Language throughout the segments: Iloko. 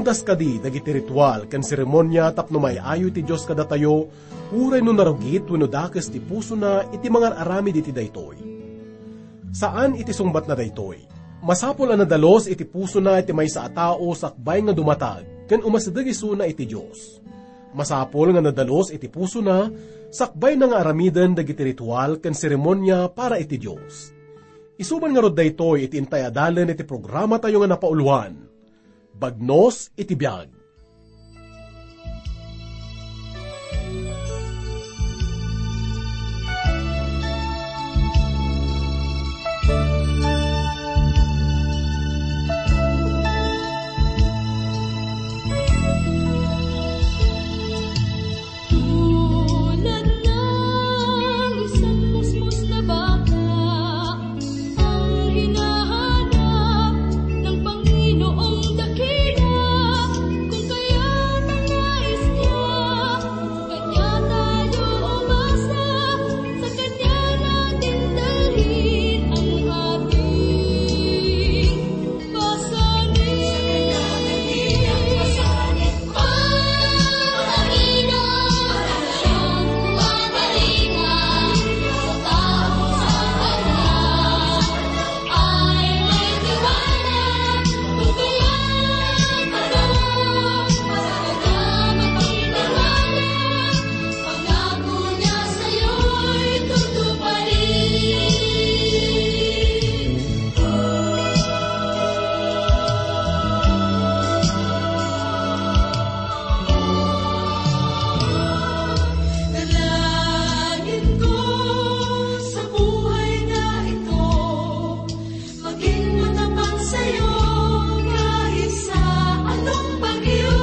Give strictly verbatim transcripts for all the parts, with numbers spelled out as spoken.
Kas kadi dagiti ritual ken seremonia tapno maay-ayo ti Dios kadatayo, uray no narugit wenno dakes ti pusona iti mangar-aramid iti daytoy. Saan iti sungbatna daytoy. Masapul a nadalus iti pusona iti maysa a tao sakbay nga dumatag ken umasideg isuna iti Dios. Masapul nga nadalus iti pusona sakbayna nga aramiden dagiti ritual ken seremonia para iti Dios. Isuman ngarud daytoy iti intay a dalen iti programatayo nga napauloan, Bagnos iti Biag. Tulad ng isang musmos na baka ang hinahanap ng Panginoong dakila, kung kaya't ang nais niya, sa kanya tayo umasa, sa kanya natin dalhin ang ating pasanin. Dalangin ko sa buhay na ito, maging matapang sa'yo kahit sa anong bagyo,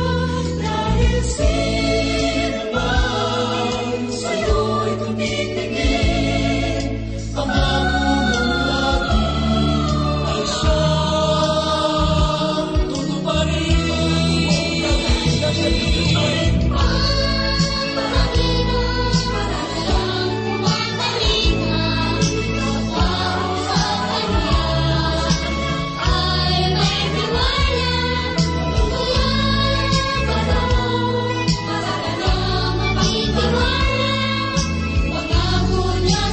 dahil sino man sa'yo'y tumitingin, pangako mong lagi ay siyang tutuparin. Pangako niya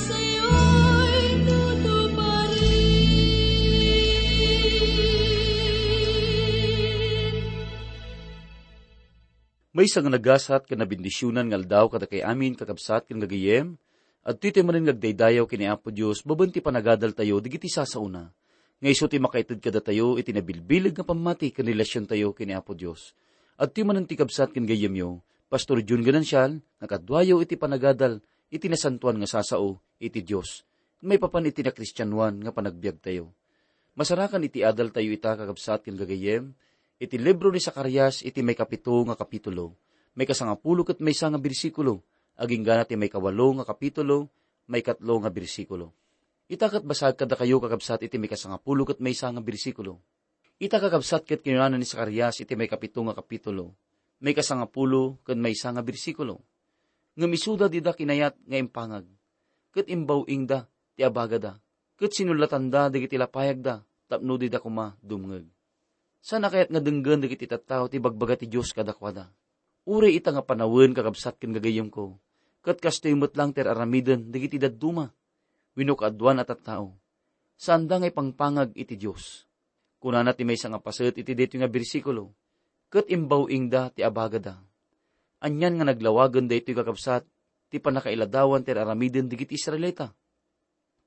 sa'yo'y tutuparin. Maysa nga nagasat ken nabendisionan nga aldaw kadakay amin, kakabsat ken gagayyem. Adtoy tayo manen nga agdaydayaw ken ni Apo Dios babaen ti panagadaltayo dagiti sasaona, nga isu ti makaited kadatayo iti nabilbileg nga pammati ken relasiontayo ken ni Apo Dios. Adtoy manen ti kabsat ken gayyemyo, Pastor Jun Ganancial, nga kaduayo iti panagadal iti nasantoan nga sasao iti Dios, maipapan iti nakristianoan nga panagbiagtayo. Masarakan iti adaltayo ita, kakabsat ken gagayyem, iti libro ni Zacarias iti maikapito nga kapitulo, maikasangapulo ket maysa nga bersikulo, agingga ti maikawalo nga kapitulo, maikatlo nga bersikulo. Ita ket basag kadakayo, kakabsat, iti maikasangapulo ket maysa nga bersikulo. Ita, kakabsat, ket kinunana ni Zacarias iti maikapito nga kapitulo, maikasangapulo ken maysa nga bersikulo, ngem isuda dida kinayat nga impangag, ket imbaw-ingda ti abagada, ket sinullatanda dagiti lapayagda tapno dida koma dumngeg. Saan a kayat nga denggen dagiti tattao ti ibagbaga ti Dios kadakuada. Uray ita nga panawen, kakabsat ken gagayyemko, ket kastoy met lang ti ar-aramiden dagiti dadduma wenno kaaduan a tattao. Saanda nga ipangpangag iti Dios. Kunana ti maysa nga paset iti daytoy nga bersikulo, "Ket imbaw-ingda ti abagada." Anian nga naglawagen daytoy, kakabsat, ti pannakailadawan ti ar-aramiden dagiti Israelita.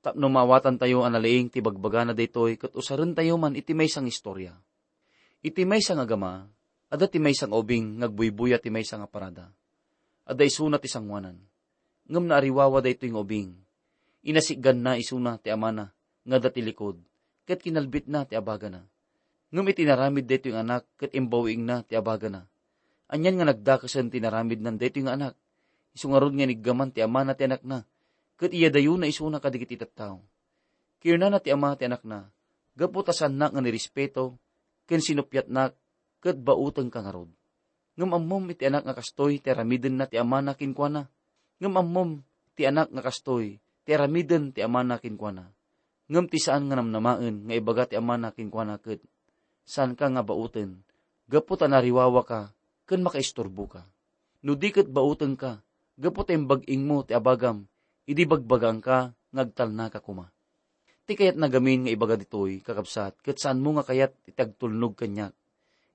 Tapno maawatantayo a nalaing ti bagbagana daytoy ket usarentayo man iti maysa nga istorya. Iti maysa nga agama, adda ti maysa nga ubing nga agbuybuya ti maysa nga parada. Adda isuna ti sangoanan. Ngem naariwawa daytoy nga ubing. Inasiganna isuna ti amana nga adda ti likod, ket kinalbitna ti abagana. Ngem iti naramid daytoy nga anak ket imbawiingna ti abagana. Anian nga nagdakesen ti naramidnan daytoy nga anak? Isu ngarud nga iniggaman ti amana ti anakna, ket iyadayona isuna kadagiti tattao. Kinunana ti ama ti anakna, "Gapu ta saannak nga nirespeto ken sinuppiatnak, ket bautengka ngarud. Ngem ammom iti anak nga kastoy ti aramidenna ti amana kenkuana. Ngem ammom ti anak nga kastoy ti aramiden ti amana kenkuana. Ngem ti saan nga namnamaen nga ibaga ti amana kenkuana ket, 'Saanka nga bauten, gapu ta nariwawaka ken makaisturboka.' No di ket bautengka, gapu ta imbag-ingmo ti abagam idi bagbagaanka nga agtalnaka koma." Ti kayatna gamin nga ibaga ditoy, kakabsat, ket saanmo nga kayat iti agtulnog kaniak.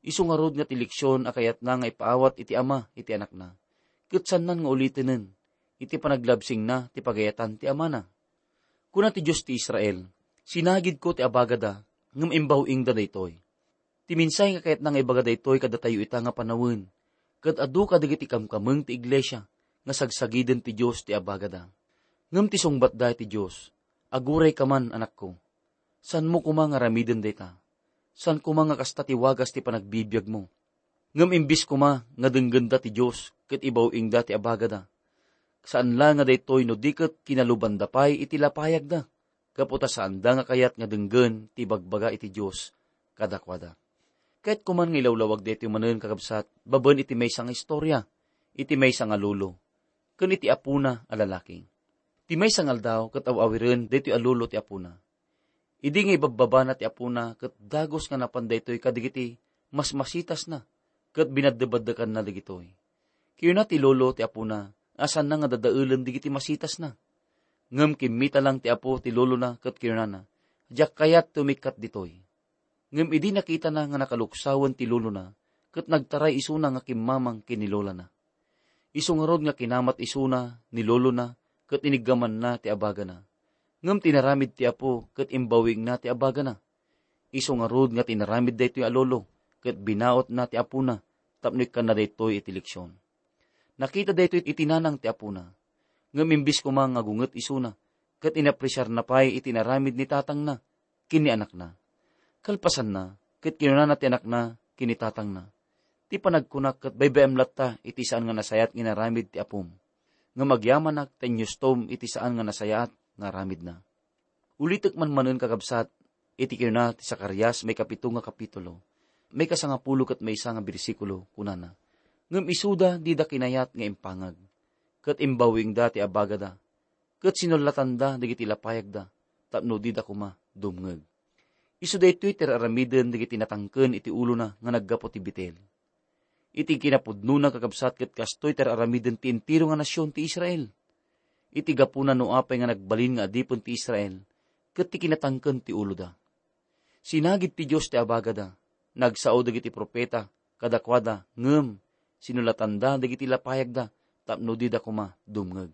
Isu ngarud nga ti leksion a kayatna nga ipaawat iti ama iti anakna, ket saannan nga ulitenen iti panaglabsingna ti pagayatan ti amana. Kuna ti Dios ti Israel, "Sinagidko ti abagada, ngem imbawiingda daytoy." Ti mensahe nga kayatna nga ibaga daytoy kadatayo ita nga panawen, ket adu kadagiti kamkameng ti iglesia nga sagsagiden ti Dios ti abagada. Ngem ti sungbatda iti Dios, "Agurayka man, anakko. Saanmo koma nga aramiden dayta. Saan koma nga kasta ti wagas ti panagbibiagmo. Ngem imbis koma nga denggenda ti Dios ket ibawiingda ti abagada, saan la nga daytoy no di ket kinalubanda pay iti lapayagda, gapu ta saanda nga kayat nga denggen ti ibagbaga iti Dios kadakuada." Kayatko man nga ilawlawag daytoy manen, kakabsat, babaen iti maysa nga istorya, iti maysa nga lolo, ken iti apona a lalaki. Ti maysa nga aldaw ket aw-awiren daytoy a lolo ti apona. Idi nga ibabbabana ti apona ket dagus nga napan daytoy kadagiti masmasitasna ket binaddebaddekanna dagitoy. Kinuna ti lolo ti apona a saanna nga dadaelen dagiti masitasna. Ngem kimmita lang ti apo ti lolona ket kinunana, "Diak kayat ti umikkat ditoy." Ngem idi nakitana nga nakaluksawen ti lolona, ket nagtaray isuna nga kimmamang ken ni lolana. Isu ngarud nga kinamat isuna ni lolona ket iniggamanna ti abagana. Ngem tinaramid ti apo ket imbawiingna ti abagana. Isu ngarud nga tinaramid daytoy a lolo ket binautna ti apona tapno ikkanna daytoy iti leksion. Nakita daytoy iti nanang ti apona. Ngem imbis koma nga gunget isuna, ket inapresiarna pay iti inaramid ni tatangna ken ni anakna. Kalpasanna, ket kinunana ti anakna ken ni tatangna, "Ti panagkunak ket baybay-am latta iti saan nga nasayaat nga inaramid ti apom. Ngem agyamanak ta inyustom iti saan nga nasayaat nga aramidna." Ulitek man manen, kakabsat, iti kinuna ti Zacarias, maikapito nga kapitulo, maikasangapulo ket maysa nga bersikulo, kunana, "Ngem isuda dida kinayat nga impangag, ket imbawiingda ti abagada, ket sinullatanda dagiti lapayagda tapno dida koma dumngeg." Isu daytoy ti ar-aramiden dagiti natangken iti ulona nga naggapu ti Betel. Iti kinapudnona, kakabsat, ket kastoy ti ar-aramiden ti entero nga nasion ti Israel. Iti gapuna no apay nga nagbalin nga adipen ti Israel, ket ti kinatangken ti uloda. Sinagid ti Dios ti abagada, nagsao dagiti profeta kadakuada, ngem sinulatanda dagiti lapayagda tapno dida koma dumngeg.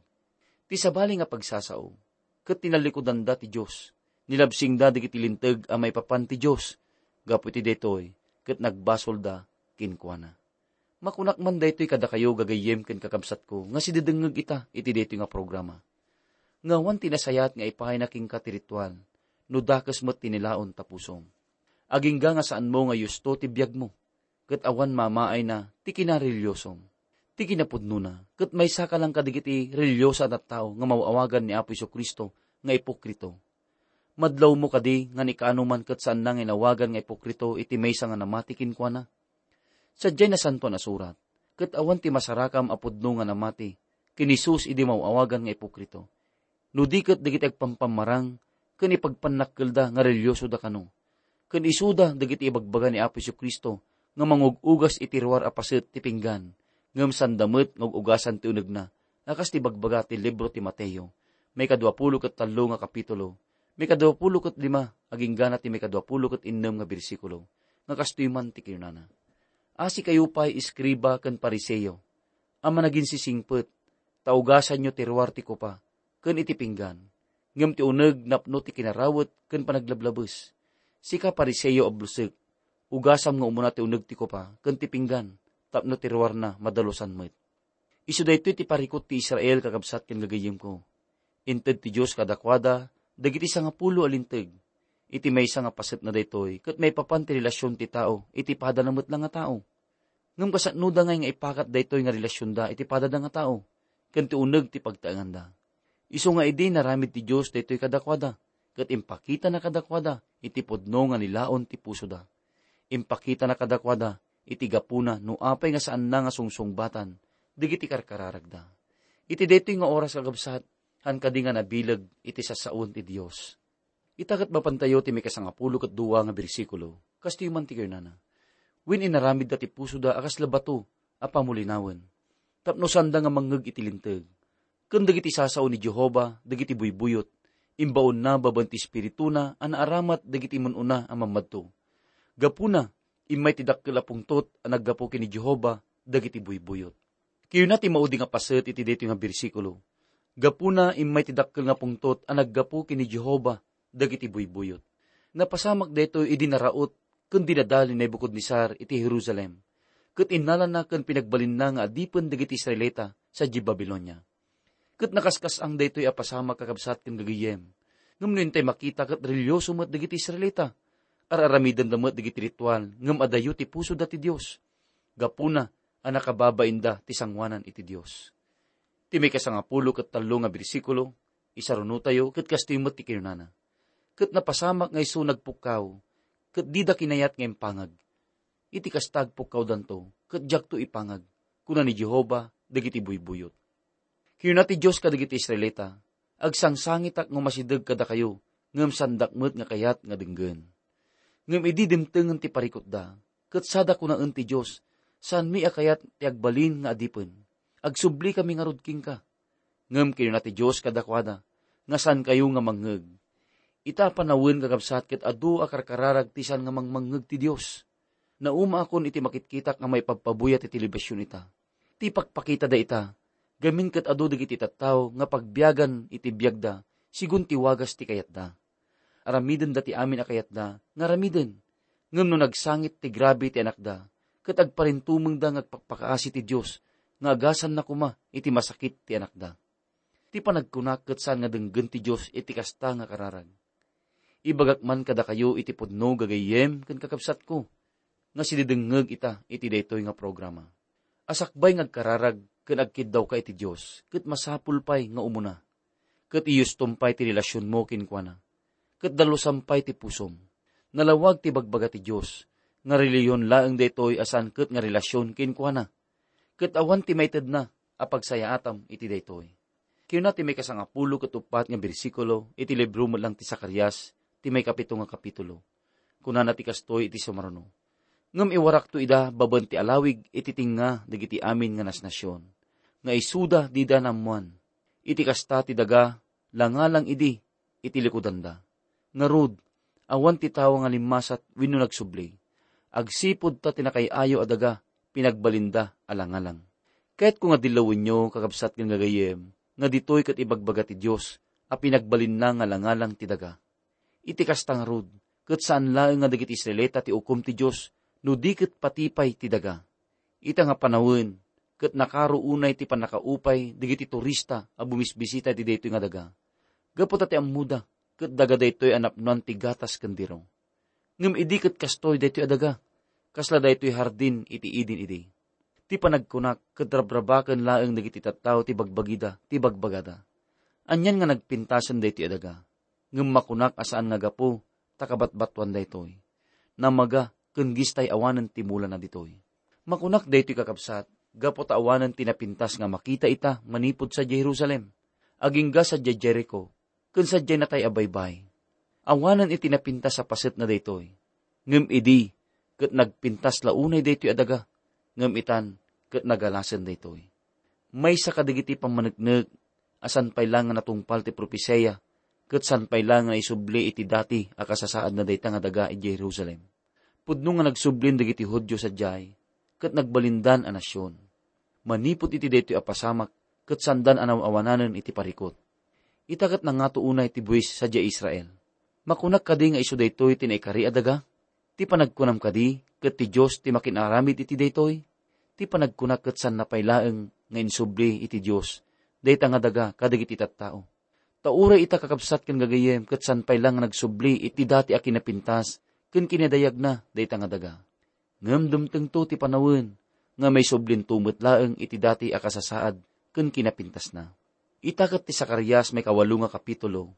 Ti sabali nga pagsasao, ket tinallikudanda ti Dios, nilabsingda dagiti linteg a maipapan ti Dios. Gapu iti daytoy, ket nagbasolda kenkuana. Makunak man daytoy kadakayo, gagayyem ken kakabsatko, nga sidedengngeg ita iti daytoy nga programa, nga awan ti nasayaat nga ipayna kenka ti ritual, no dakes met ti nilaon ta pusom. Agingga nga saanmo nga yusto ti biagmo, ket awan mamaayna ti kinarelihiosom. Ti kinapudnona, ket maysaka lang kadagiti relihioso a tattao nga maw-awagan ni Apo Jesu-Cristo nga ipokrito. Madlawmo kadi nga ni Kano man ket saanna nga inawagan nga ipokrito iti maysa nga namati kenkuana? Sadiay Nasantoan a Surat, ket awan ti masarakam a pudno nga namati ken Jesus idi maw-awagan nga ipokrito, no di ket dagiti agpampammarang ken ipagpannakkelda nga relihiosoda kano. Ken isuda dagiti ibagbaga ni Apo Jesu-Cristo nga mangug-ugas iti ruar a paset ti pinggan, ngem sanda met nga ug-ugasan ti unegna, a kas ti ibagbaga ti libro ti Mateo, maikadua pulo ket tallo nga kapitulo, maikadua pulo ket lima, aginggana ti maikadua pulo ket innem nga bersikulo, nga kastoy man ti kinunana, "Asikayo pay, eskriba ken Fariseo, a managinsisingpet, ta ugasanyo ti ruar ti kopa ken iti pinggan, ngem ti uneg napno ti kinarawet ken panaglablabes. Sika, Fariseo a bulsek, ugasam nga umuna ti uneg ti kopa ken ti pinggan, tapno ti ruarna madalusan met. Isu daytoy ti parikut ti Israel, kakabsat ken gagayyemko. Inted ti Dios kadakuada dagiti sangapulo a linteg. Iti maysa nga pasetna daytoy, ket maipapan ti relasion ti tao iti padana met la nga tao. Ngem kasanoda ngay nga ipakat daytoy nga relasionda iti padada nga tao, ken ti uneg ti pagtaenganda? Isu nga idi naramid ti Dios daytoy kadakuada, ket impakitana kadakuada iti pudno nga nilaon ti pusoda. Impakitana kadakuada iti gapuna no apay nga saanna nga sungsungbatan dagiti karkararagda. Iti daytoy nga oras, kakabsat, han kadi nga nabileg iti sasaon ti Dios. Ita ket mapantayo ti maikasangapulo ket dua nga bersikulo. Kastoy man ti kunana: "Wen inaramidda ti pusoda a kasla bato a pamulinawen, tapno saanda nga mangngeg iti linteg, ken dagiti sasao ni Jehovah dagiti buybuyot, imbaonna babaen ti espirituna a naaramat dagiti immun-una a mammadto. Gapuna, immay ti dakkel a pungtot a naggapu ken ni Jehovah dagiti buybuyot." Kayuna ti maudi nga paset iti daytoy nga bersikulo. Gapuna, immay ti dakkel nga pungtot a naggapu ken ni Jehovah dagiti buybuyot. Napasamak daytoy idi naraot ken dinadal ni Nebucodonesar iti Jerusalem, ket innalana ken pinagbalinna nga adipen dagiti Israelita sadiay Babilonia. Ket nakaskas-ang daytoy a pasamak, kakabsat ken gagayyem. Ngem no intay makita, ket relihioso met dagiti Israelita. Ar-aramidenda met dagiti ritual, ngem adayo ti pusoda ti Dios. Gapuna a nakababainda ti sangoanan iti Dios. Ti maikasangapulo ket tallo nga bersikulo, isarunotayo, ket kastoy met ti kinunana: "Ket napasamak nga isu nagpukkaw, ket dida kinayat nga impangag. Iti kasta agpukkawdanto, ket diakto ipangag, kuna ni Jehovah dagiti buybuyot." Kinuna ti Dios kadagiti Israelita: "Agsangsangitak no masideg kadakayo, ngem saandak met nga kayat nga denggen." Ngem idi dimtengen ti parikutda, ket sada kunaen ti Dios, "Saanmi a kayat ti agbalin nga adipen. Agsublikami ngarud kenka." Ngem kinuna ti Dios kadakuada nga saankayo nga mangngeg. Ita a panawen, kakabsat, ket adu a karkararag ti saan nga mangmangngeg ti Dios. Naumaakon iti makitkitak nga maipabpabuya ti telebision ita. Ti pakpakitada ita, gamin ket adu dagiti tattao nga pagbiagan iti biagda sigun ti wagas ti kayatda. Aramidenda ti amin a kayatda nga aramiden. Ngem no nagsangit ti grabe ti anakda, ket agparintumengda nga agpakpakaasi ti Dios nga agasanna koma iti masakit ti anakda. Ti panagkunak ket saan nga denggen ti Dios iti kasta nga kararag. Ibagak man kadakayo iti pudno, gagayyem ken kakabsatko, nga sididengngeg ita iti daytoy nga programa. A sakbay nga agkararag ken agkiddawka iti Dios, ket masapul pay nga umuna. Ket iyustom pay ti relasionmo kenkuana. Ket dalusam pay ti pusom. Nalawag ti bagbaga ti Dios, nga relihion laeng daytoy a saan ket nga relasion kenkuana. Ket awan ti maitedna a pagsayaatam iti daytoy. Kinuna ti maikasangapulo ket uppat nga bersikulo iti libro met lang ti Zacarias, ti maikapito nga kapitulo. Kunana ti kastoy iti sumaruno: "Ngem iwarakto ida babaen ti alawig iti tengnga dagiti amin nga nasnasion, nga isuda dida naammoan. Iti kasta ti daga langalang idi iti likudanda. Ngarud, awan ti tawa nga limmasat wenno nagsubli. Agsipud ta ti nakay-ayo a daga, pinagbalinda a langalang." Kayatko nga dillawenyo, kakabsat ken gagayyem, nga ditoy ket ibagbaga ti Dios a pinagbalinna nga langalang ti daga. Iti kasta ngarud, ket saan laeng nga dagiti Israelita ti ukom ti Dios no di ket pati pay ti daga. Ita nga panawen, ket nakaro unay ti pannakaupay dagiti turista a bumisbisita iti daytoy nga daga, gapu ta ti ammoda ket daga daytoy a napnoan ti gatas ken diro. Ngem idi ket kastoy daytoy a daga, kasla daytoy hardin iti Eden idi. Ti panagkunak ket rabrabaken laeng dagiti tattao ti bagbagida, ti bagbagada. Anian nga nagpintasen daytoy a daga? Ngem makunak a saan nga gapu ta kabatbatuan daytoy. Namaga ken gistay awanen ti mulana ditoy. Makunak daytoy, kakabsat, gapu ta awanen ti napintas nga makita ita manipud sadiay Jerusalem, agingga sadiay Jerico, ken sadiay natay a baybay. Awanen iti napintas a pasetna daytoy. Ngem idi, ket nagpintas la unay daytoy a daga, ngem itan, ket nagalasen daytoy. Maysa kadagiti pammaneknek a saan pay la nga natungpal ti propesia, ket saan pay la nga naisubli iti dati a kasasaadna dayta nga daga idiay Jerusalem. Pudno nga nagsublin dagiti Judio sadiay, ket nagbalindan a nasion. Manipud iti daytoy a pasamak, ket saandan a naawananen iti parikut. Ita ket nangato unay ti buis sadiay Israel. Makunak kadi nga isu daytoy ti naikari a daga? Ti panagkunam kadi ket ti Dios ti makin-aramid iti daytoy? Ti panagkunak ket saan pay laeng nga insubli iti Dios dayta nga daga kadagiti tattao. Ta uray ita, kakabsat ken gagayyem, ket saan pay la nga nagsubli iti dati a kinapintas ken kinadayagna dayta nga daga. Ngem dumtengto ti panawen nga maisublinto met laeng iti dati a kasasaad ken kinapintasna. Ita ket ti Zacarias maikawalo nga kapitulo,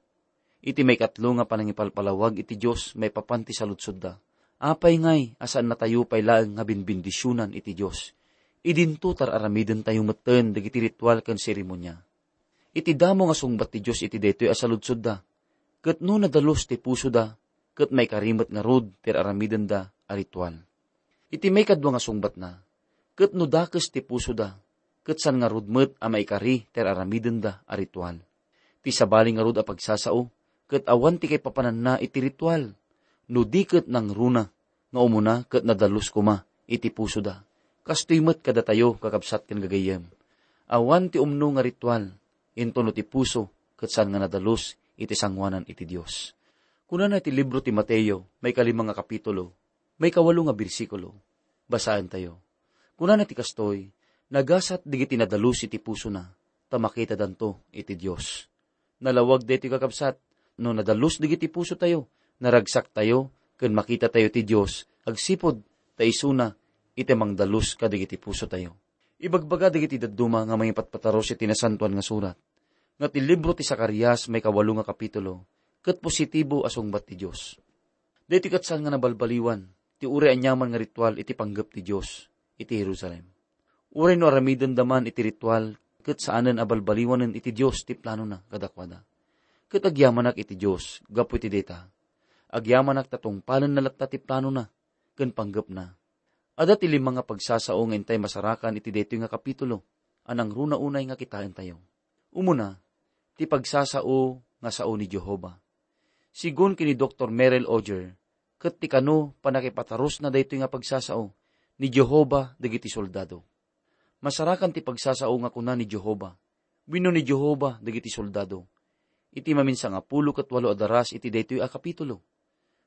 iti maikatlo nga panangipalpalawag iti Dios maipapan ti saludsodda. Apay ngay a saannatayo pay laeng nga binbendisionan iti Dios? Idinto tar-aramidentayo metten dagiti ritual ken seremonia. Iti damo nga sungbat ti Dios iti daytoy a saludsodda, ket no nadalus ti pusoda, ket maikari met ngarud ti ar-aramidenda a ritual. Iti maikadua nga sungbatna, ket no dakes ti pusoda, ket saan ngarud met a maikari ti ar-aramidenda a ritual. Ti sabali ngarud a pagsasao, ket awan ti kaipapananna iti ritual, no di ket nangruna nga umuna ket nadalus koma iti pusoda. Kastoy met kadatayo, kakabsat ken gagayyem. Awan ti umno nga ritual, intono ti puso ket saan nga nadalus iti sangoanan iti Dios. Kunana iti libro ti Mateo, maikalima nga kapitulo, maikawalo nga bersikulo. Basaentayo. Kunana ti kastoy, nagasat dagiti nadalus iti pusona, ta makitadanto iti Dios. Nalawag daytoy, kakabsat, no nadalus dagiti pusotayo, naragsaktayo, ken makitatayo ti Dios agsipud ta isuna iti mangdalus kadagiti pusotayo. Ibagbaga dagiti dadduma nga mangipatpataros iti Nasantoan nga Surat nga ti libro ti Zacarias maikawalo nga kapitulo ket positibo a sungbat ti Dios. Daytoy ket saan nga nabalbaliwan ti uray aniaman nga ritual iti panggep ti Dios iti Jerusalem. Uray no aramidenda man iti ritual, ket saanen a balbaliwanen iti Dios ti planona kadakuada. Ket agyamanak iti Dios gapu iti dayta. Agyamanak ta tungpalenna latta ti planona ken panggepna. Adda ti lima nga pagsasao nga intay masarakan iti daytoy nga kapitulo a nangruna unay nga kitaentayo. Umuna, ti pagsasao nga sao ni Jehovah. Sigun ken ni Doktor Merrill Oger, ket ti kano pannakipatarusna daytoy nga pagsasao ni Jehovah dagiti soldado. Masarakan ti pagsasao nga kuna ni Jehovah, wenno ni Jehovah dagiti soldado, iti maminsangapulo ket walo a daras iti daytoy a kapitulo.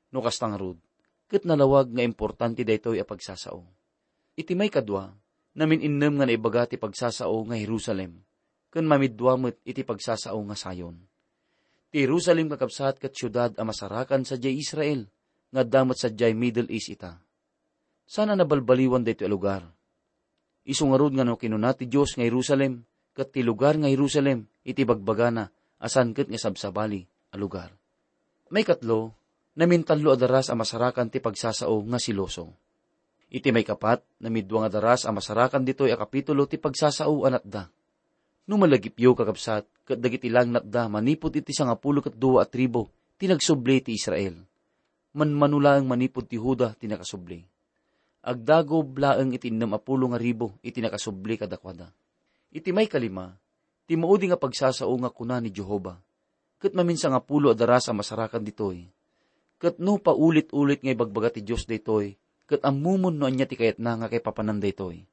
No kasta ngarud, ket nalawag nga importante daytoy a pagsasao. Iti maikadua, namin-innem nga naibaga ti pagsasao nga Jerusalem, ken mamidua met iti pagsasao nga Sion. Ti Jerusalem, kakabsat, ket siudad a masarakan sadiay Israel, nga adda met sadiay Middle East ita. Saan a nabalbaliwan daytoy a lugar. Isu ngarud nga no kinuna ti Dios nga Jerusalem, ket ti lugar nga Jerusalem iti bagbagana a saan ket nga sabsabali a lugar. Maikatlo, namintallo a daras a masarakan ti pagsasao nga siloso. Iti maikapat, namidua nga daras a masarakan ditoy a kapitulo ti pagsasao a natda. No malagipyo, kakabsat, ket dagiti lang natda manipud iti sangapulo ket dua a tribu ti nagsubli ti Israel. Manmano laeng manipud ti Juda ti nakasubli. Agdagob laeng iti innem a pulo nga ribu iti nakasubli kadakuada. Iti maikalima, ti maudi nga pagsasao nga kuna ni Jehovah, ket maminsangapulo a daras a masarakan ditoy. Ket no paulit-ulit nga ibagbaga ti Dios daytoy, ket ammomon no ania ti kayatna nga kaipapanan daytoy.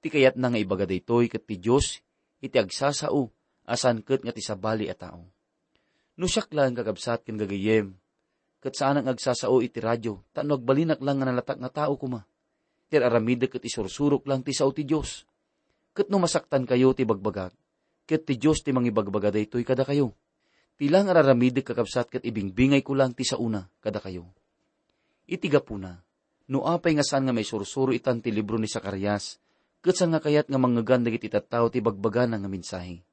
Ti kayatna nga ibaga daytoy ket ti Dios iti agsasao a saan ket nga ti sabali a tao. No siak laeng, kakabsat ken gagayyem, ket saanak nga agsasao iti radio tapno agbalinak lang nga nalatak nga tao koma. Ti ar-aramidek ket isursurok lang ti sao ti Dios. Ket no masaktankayo ti bagbagak, ket ti Dios ti mangibagbaga daytoy kadakayo. Ti lang ar-aramidek, kakabsat, ket ibingbingayko lang ti saona kadakayo. Iti gapuna, no apay nga saan nga maisursuro itan ti libro ni Zacarias, ket saan nga kayat nga mangngegan dagiti tattao ti bagbagana nga mensahe.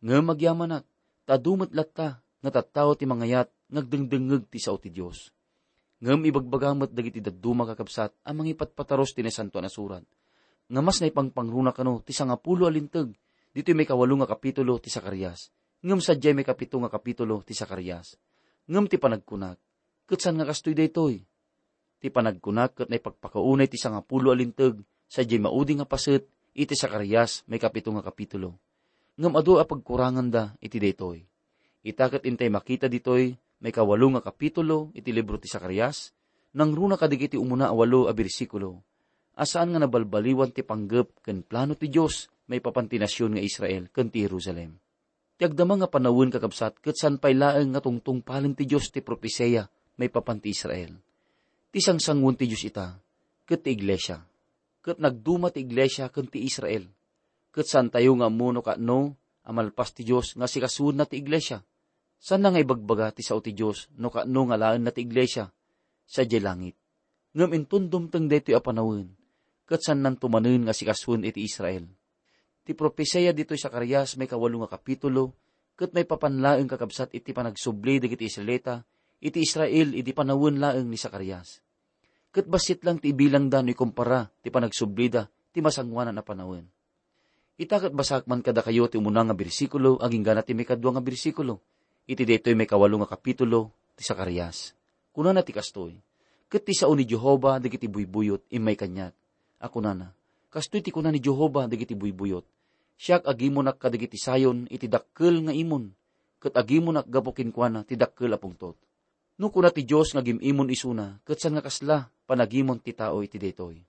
Ngem agyamanak, ta adu met latta nga tattao ti mangayat nga agdengdengngeg ti sao ti Dios. Ngem ibagbaga met dagiti dadduma, kakabsat, a mangipatpataros ti Nasantoan a Surat, nga mas naipangpangruna kano ti sangapulo a linteg ditoy maikawalo nga kapitulo ti Zacarias, ngem sadiay maikapito nga kapitulo ti Zacarias. Ngem ti panagkunak, ket saan nga kastoy daytoy. Ti panagkunak ket naipakpakaunay ti sangapulo a linteg sadiay maudi nga paset iti Zacarias maikapito nga kapitulo. Ngem adu a pagkuranganda iti daytoy. Ita ket intay makita ditoy maikawalo nga kapitulo iti libro ti Zacarias, nangruna kadagiti umuna a walo a bersikulo, a saan nga nabalbaliwan ti panggep ken plano ti Dios maipapan ti nasion nga Israel ken ti Jerusalem. Ti agdama nga panawen, kakabsat, ket saan pay laeng nga tungtungpalen ti Dios ti propesia maipapan ti Israel. Ti sangsangoen ti Dios ita, ket ti iglesia. Ket nagduma ti iglesia ken ti Israel. Ket saantayo nga ammo no kaano a malpas ti Dios nga asikasoenna ti iglesia. Saanna nga ibagbaga ti sao ti Dios no kaano nga alaenna ti iglesia sadiay langit. Ngem inton dumteng daytoy a panawen, ket saannanto manen nga asikasoen iti Israel. Ti propesia ditoy Zacarias maikawalo nga kapitulo, ket maipapan laeng, kakabsat, iti panagsubli dagiti Israelita iti Israel idi panawen laeng ni Zacarias. Ket bassit lang ti ibilangda no ikumpara ti panagsublida ti masangoanan a panawen. Ita ket basaek man kadakayo ti umuna nga bersikulo agingga na ti maikadua nga bersikulo iti daytoy maikawalo nga kapitulo ti Zacarias. Kunana ti kastoy, "Ket ti sao ni Jehovah dagiti buybuyot immay kaniak, a kunana, 'Kastoy ti kuna ni Jehovah dagiti buybuyot: Siak agimunak kadagiti Sion iti dakkel nga imon, ket agimunak gapu kenkuana ti dakkel a pungtot.'" No kuna ti Dios nga agim-imon isuna, ket saan nga kasla panagimon ti tao iti daytoy?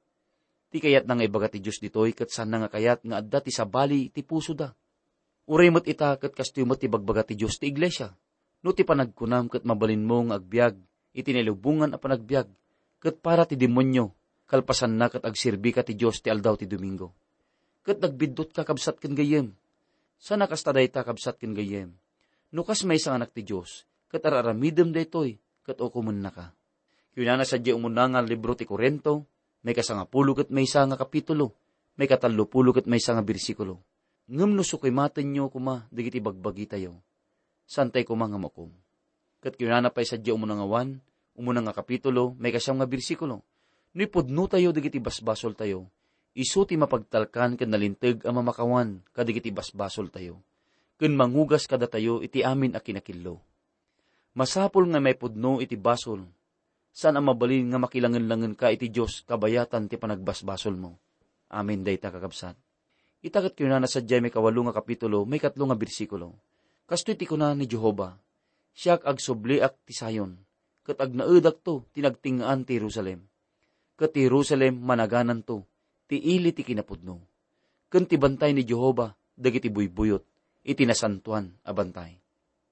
Ti kayatna nga ibaga ti Dios ditoy ket saanna nga kayat nga adda ti sabali ti pusoda. Uray met ita ket kastoy met ti bagbaga ti Dios ti iglesia. No ti panagkunam ket mabalinmo nga agbiag iti nailubongan a panagbiag ket para ti demonio, kalpasanna ket agserbika ti Dios ti aldaw ti Domingo. Ket nagbiddutka, kabsat ken gayyem. Saan a kasta dayta, kabsat ken gayyem. No kas maysa nga anak ti Dios, ket ar-aramidem daytoy, ket ukomennaka. Kinunana sadiay umuna nga libro ti Corinto, maikasangapulo ket maysa nga kapitulo, maikatallopulo ket maysa nga bersikulo, "Ngem no sukimatenyo koma dagiti bagbagitayo, saantay koma nga maukom." Ket kinunana pay sadiay umuna nga Juan, umuna nga kapitulo, maikasiam nga bersikulo, "No ipudnotayo dagiti basbasoltayo, isu ti mapagtalkan ken nalinteg a mamakawan kadagiti basbasoltayo, ken mangugas kadatayo iti amin a kinakillo." Masapul nga maipudno iti basol. Saan a mabalin nga makilangenlangenka iti Dios kabayatan ti panagbasbasolmo. Amin dayta, kakabsat. Ita ket kinunana sadiay maikawalo nga kapitulo, maikatlo nga bersikulo, "Kastoy ti kuna ni Jehovah: Siak agsubliak ti Sion, ket agnaedakto ti nagtengngaan ti Jerusalem. Ket ti Jerusalem managananto ti ili ti kinapudno, ken ti bantay ni Jehovah dagiti buybuyot iti nasantoan a bantay."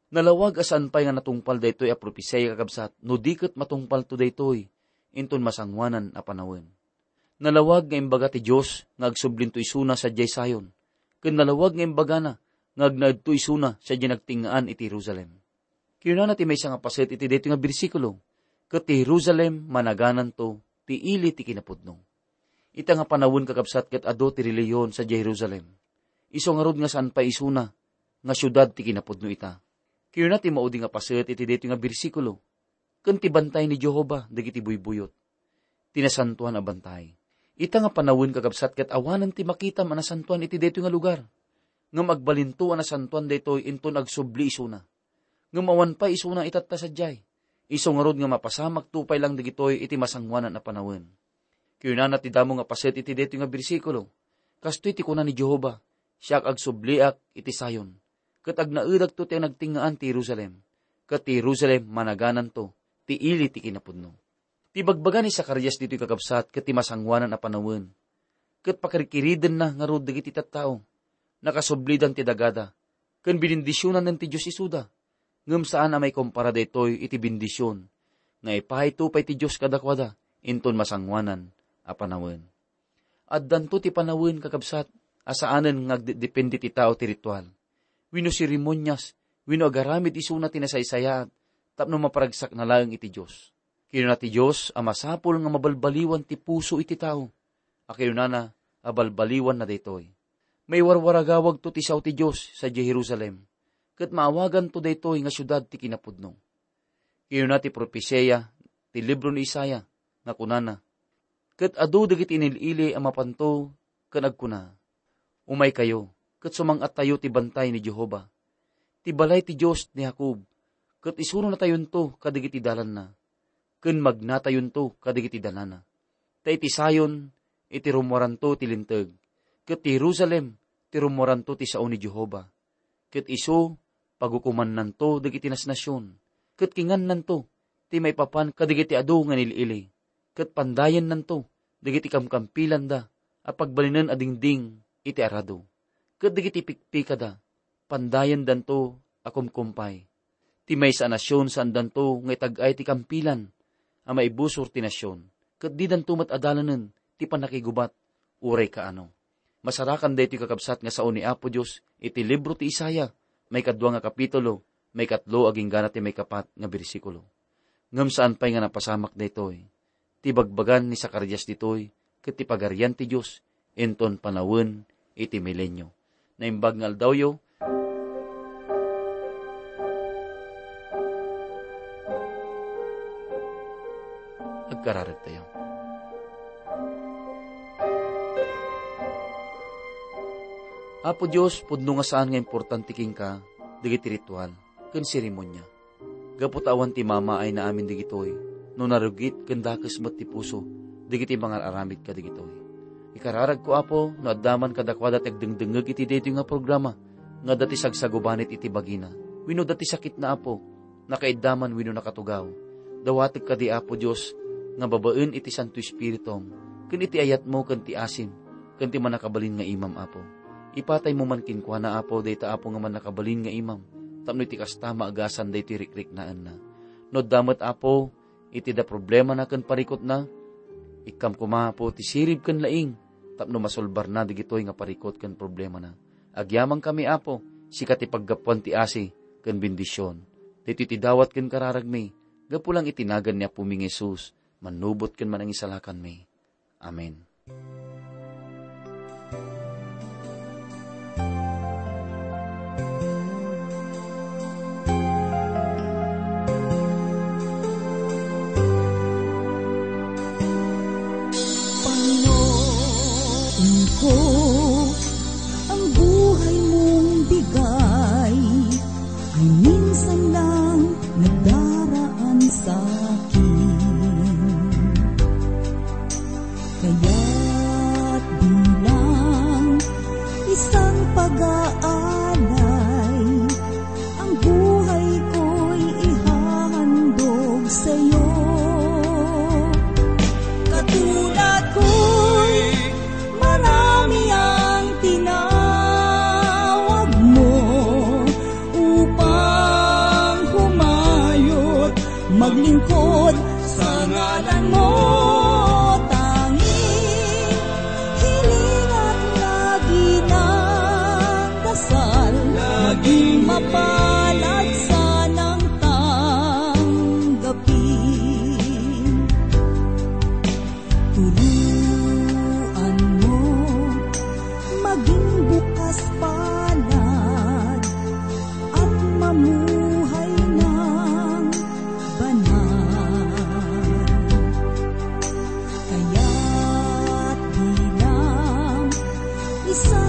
Nalawag a saan pay nga natungpal daytoy a propesia, kakabsat, no di ket matungpalto daytoy inton masangoanan a panawen. Nalawag nga imbaga ti Dios nga agsublinto isuna sadiay Sion, ken nalawag nga imbagana nga agnaedto isuna sadiay nagtengngaan iti Jerusalem. Kinunana ti maysa nga paset iti daytoy nga bersikulo, "Ket ti Jerusalem managananto ti ili ti kinapudno." Ita nga panawen, kakabsat, ket adu ti relihiyon sadiay Jerusalem. Isu ngarud nga saan pay isuna nga siudad ti kinapudno ita. Kinuna ti maudi nga paset iti daytoy nga bersikulo, "Ken ti bantay ni Jehovah dagiti buybuyot, ti nasantoan a bantay." Ita nga panawen, kakabsat, ket awanen ti makitam a nasantoan iti daytoy nga lugar. Ngem agbalinto a nasantoan daytoy inton agsubli isuna. Ngem awan pay isuna itatta sadiay. Isu ngarud nga mapasamakto pay lang dagitoy iti masangoanan a panawen. Kinunana ti damo nga paset iti daytoy nga bersikulo, "Kastoy ti kuna ni Jehovah: Siak agsubliak iti Sion, ket agnaedakto ti nagtengngaan ti Jerusalem, ket ti Jerusalem managananto ti ili ti kinapudno." Ti bagbaga ni Zacarias ditoy, kakabsat, ket ti masangoanan a panawen, ket pakirkiridenna ngarud dagiti tattao. Nakasublidan ti dagada, ken binindisionanen ti Dios isuda. Ngem saan a maikumpara daytoy iti bendision nga ipahayto pay ti Dios kadakuada inton masangoanan a panawen. Addanto ti panawen, kakabsat, a saanen nga agdedepende ti tao ti ritual wenno seremonias wenno agaramid isuna ti nasaysayaat tapno maparagsakna laeng iti Dios. Kinuna ti Dios a masapul nga mabalbaliwan ti puso iti tao, a kinunana a balbaliwanna daytoy. Maiwarwaragawagto ti sao ti Dios sadiay Jerusalem, ket maawaganto daytoy nga siudad ti kinapudno. Kinuna ti propesia ti libro ni Isaiah nga kunana, "Ket adu dagiti inil-ili a mapanto ken agkuna, 'Umaykayo, ket sumang-attayo ti bantay ni Jehovah, ti balay ti Dios ni Jacob, ket isurunatayonto kadagiti dalanna, ken magnatayonto kadagiti danana. Ta iti Sion, iti rummuaranto ti linteg, ket ti Jerusalem, ti rummuaranto ti sao ni Jehovah. Ket isu, pagukomannanto dagiti nasnasion, ket kingannanto ti maipapan kadagiti adu nga inil-ili, ket pandayennanto dagiti kamkampilanda a pagbalinen a dingding iti arado, ket dagiti pikpikada pandayendanto a kumkumpay. Ti maysa a nasion, saandanto nga itag-ay ti kampilan a maibusor ti nasion, ket didanto met adalanen ti pannakigubat uray kaano. Masarakan daytoy, kakabsat, nga sao ni Apo Dios iti libro ti Isaiah, maikadua nga kapitulo, maikatlo agingga na ti maikapat nga bersikulo. Ngem saan pay nga napasamak daytoy. Ti bagbagan ni Zacarias ditoy ket ti Pagarian ti Dios inton panawen iti milenio. Naimbag nga aldawyo, agkararagtayo. Apo Dios, pudno nga saan nga importante kenka dagiti ritual ken seremonia. Gapu ta awan ti mamaayna amin dagitoy, no narugit ken dakes met ti puso dagiti mangar-aramid kadagitoy. Ikararagko, Apo, no adda man kadakuada ti agdengdengngeg iti daytoy nga programa, nga adda ti sagsagubanit iti bagina, wenno adda ti sakitna, Apo, nakaiddaman wenno nakatugaw. Dawatek kadi, Apo Dios, nga babaen iti Santo Espiritum, ken iti ayatmo ken ti asim, ken ti mannakabalin nga imam, Apo. Ipataymo man kenkuana, Apo, dayta, Apo, nga mannakabalin nga imam, tapno iti kasta, maagasan daytoy rikriknaenna. No adda met, Apo, iti da problemana ken parikutna, ikkam koma, Apo, ti sirib ken laing, tapno masolbarna dagitoy nga parikut ken problemana. Agyamankami, Apo, sika ti paggapuan ti asi ken bendision. Daytoy ti dawat ken kararagmi, gapu lang iti nagan ni Apomi nga Jesus, mannubot ken manangisalakanmi. Amen. Panginoon ko, ang buhay mong bigay ay minsan lang nadaraan sa akin. Kaya't bilang isang pag-aalay, ang buhay ko'y ihahandog sa'yo. Katulad ko'y marami ang tinawag mo upang humayot, maglingkod sa ngalan mo. Tanging hiling at lagi ng dasal, maging mapalad sanang tanggapin. Turuan mo maging bukas palad at mamuhay ng banal. Kaya't bilang isa